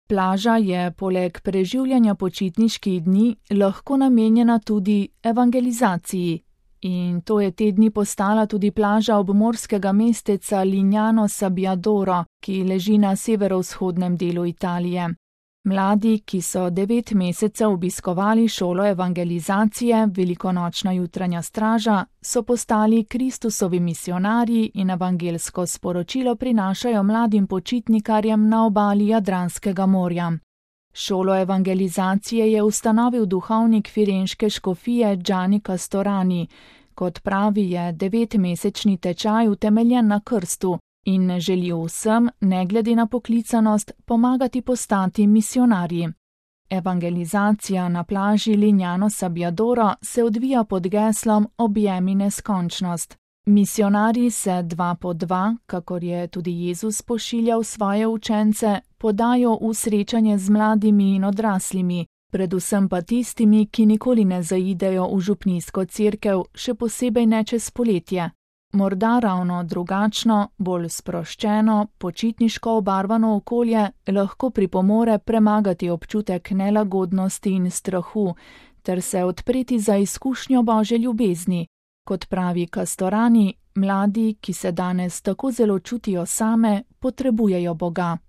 Plaža je poleg preživljanja počitniških dni lahko namenjena tudi evangelizaciji. In to je te dni postala tudi plaža obmorskega mesteca Lignano Sabbiadoro, ki leži na severovzhodnem delu Italije. Mladi, ki so 9 mesecev obiskovali šolo evangelizacije, velikonočna jutranja straža, so postali Kristusovi misionarji in evangelsko sporočilo prinašajo mladim počitnikarjem na obali Jadranskega morja. Šolo evangelizacije je ustanovil duhovnik firenške škofije Gianni Castorani. Kot pravi, je 9-mesečni tečaj utemeljen na krstu in želi vsem, ne glede na poklicanost, pomagati postati misionarji. Evangelizacija na plaži Lignano Sabbiadoro se odvija pod geslom Objemi neskončnost. Misionarji se 2 po 2, kakor je tudi Jezus pošiljal svoje učence, podajo v srečanje z mladimi in odraslimi, predvsem pa tistimi, ki nikoli ne zaidejo v župnijsko cerkev, še posebej ne čez poletje. Morda ravno drugačno, bolj sproščeno, počitniško obarvano okolje lahko pripomore premagati občutek nelagodnosti in strahu ter se odpreti za izkušnjo Božje ljubezni. Kot pravi Castorani, mladi, ki se danes tako zelo čutijo same, potrebujejo Boga.